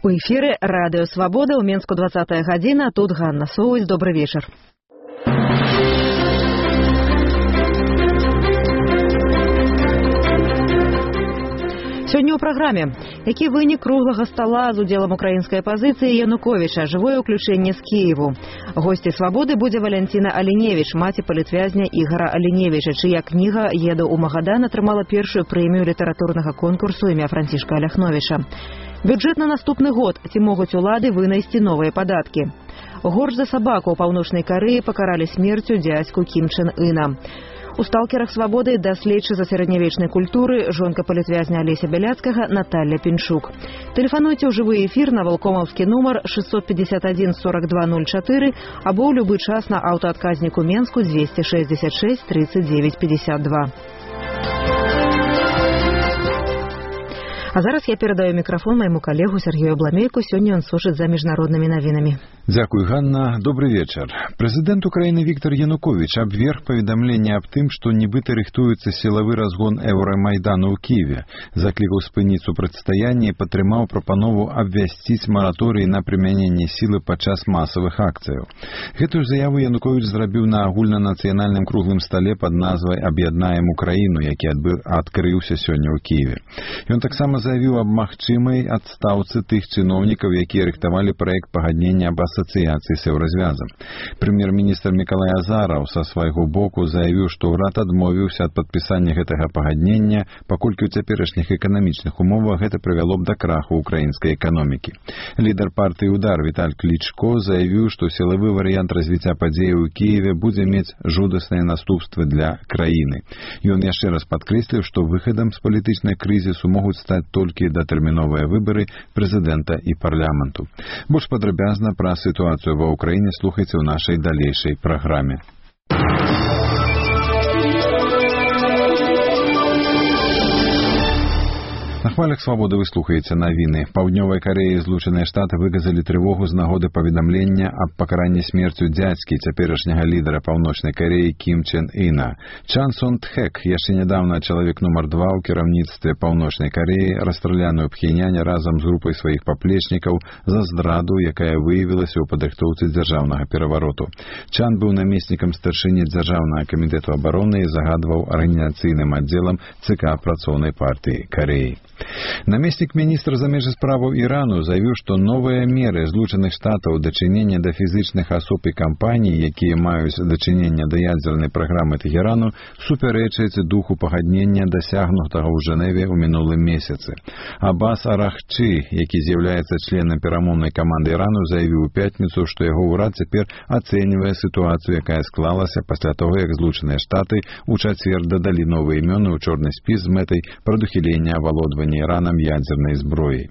У эфіры радыё Свабода, ў Менску 20 гадзіна, тут Ганна Соўваць, добры вечар. Сёння ў праграме. Які вынік круглага стала з удзелам украінскай апазіцыі Януковіча, жывое ўключэнне з Кіеву. Госці Свабоды будзе Валянціна Аліневіч, маці палітвязня Ігара Аліневіча, чыя кніга «Еду ў Магадан» атрымала першую прэмію літаратурнага конкурсу імя Францішка Аляхновіча. Бюджэт на наступны год. Ці могуць улады вынайсці новыя падаткі. Горш за сабаку ў Паўночнай Карэі пакаралі смерцю дзядзьку Кім Чен Іна. У сталкерах Свабоды даследчыца сярэднявечнай культуры, жонка палітвязня Алеся Бяляцкага Наталья Пінчук. Тэлефануйце ў жывы эфір на валкомаўскі нумар 651 42 04 або ў любы час на аўтаадказніку Менску 266 39 52. А зараз я перадаю мікрафон майму калегу Сергею Бламейку. Сёння ён сушыць за міжнароднымі навінамі. Дзякуй, Ганна. Добрый вечар. Прэзідэнт Украіны Віктор Януковіч абверг паведамленне аб тым, што нібыта рыхтуецца сілавы разгон Еўрамайдану ў Кіеве. Заклікаў спыніць супрацьстаянне і падтрымаў прапанову абвясціць мараторый на прымяненне сілы падчас масавых акцыяў. Гэтую заяву Януковіч зрабіў на агульнанацыянальным круглым стале пад назвай «Аб'яднаем Украіну», які адкрыўся сёння ў Кіеве. Ён таксама заявіў аб магчымай адстаўцы тых чыноўнікаў, якія рыхтавалі праект пагаднення аб асацыяцыі з еўразвязам. Прэм'ер-міністр Мікалай Азараў са свайго боку заявіў, што ўрад адмовіўся ад падпісання гэтага пагаднення, паколькі ў цяперашніх эканамічных умовах гэта прывяло б да краху украінскай эканомікі. Лідар партыі «Удар» Віталь Клічко заявіў, што сілавы варыянт развіцця падзеяў у Кіеве будзе мець жудасныя наступствы для краіны. Ён яшчэ раз падкрэсліў, што выхадам з палітычнай крызісу могуць стаць толькі датэрміновыя выбары прэзідэнта і парламенту. Больш падрабязна пра сітуацыю ва ўкраіне слухайце ў нашай далейшай праграме. На хвалях Свабоды вы слухаеце навіны. Паўднёвай Карэі і Злучаныя Штаты выказалі трывогу з нагоды паведамлення аб пакаранні смерцю дзядзькі цяперашняга лідара Паўночнай Карэі Кім Чен Іна. Чан Сон Тхэк, яшчэ нядаўна чалавек нумар 2 ў кіраўніцтве Паўночнай Карэі, расстраляны ў Пхеняне разам з групай сваіх паплечнікаў за здраду, якая выявілася ў падрыхтоўцы дзяржаўнага перавароту. Чан быў намеснікам старшыні дзяржаўнага камітэту абароны і загадваў арганізацыйным аддзелам ЦК працоўнай партыі Карэі. Намеснік міністра замежных справаў Ірану заявіў, што новыя меры Злучаных Штатаў дачынення да фізічных асоб і кампаній, якія маюць дачынення да ядзернай праграмы Тэхерану, супярэчаць духу пагаднення, дасягнутага ў Жэневе ў мінулым месяцы. Аббас Арахчы, які з'яўляецца членам перамоўнай каманды Ірану, заявіў у пятніцу, што яго ўрад цяпер ацэньвае сітуацыю, якая склалася пасля таго, як Злучаныя Штаты ў чацвер дадалі новыя імёны ў чорны спіс з мэтай прадухілення авалодвання Іранам ядзернай зброі.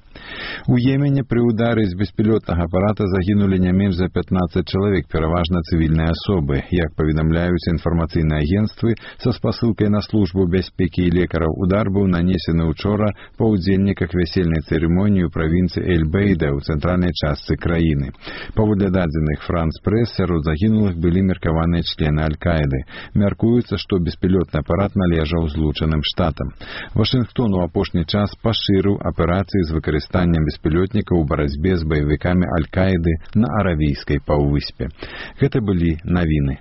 У Йемене пры ўдары з беспілотнага апарата загінулі не менш за 15 чалавек, пераважна цывільныя асобы. Як паведамляюць інфармацыйныя агенцтвы са спасылкай на службу бяспекі і лекараў, удар быў нанесены ўчора па ўдзельніках вясельнай цырымоніі ў правінцыі Эль-Бейда ў цэнтральнай частцы краіны. Паводле дадзеных Франс Прэс, сярод загінулых былі меркаваныя члены Аль-Каіды. Мяркуецца, што беспілотны апарат належаў Злучаным Штатам. Вашынгтон у апошні час пашырыў аперацыі з выкарыстаннем беспілотнікаў у барацьбе з баевікамі Аль-Каіды на Аравійскай паўвыспе. Гэта былі навіны.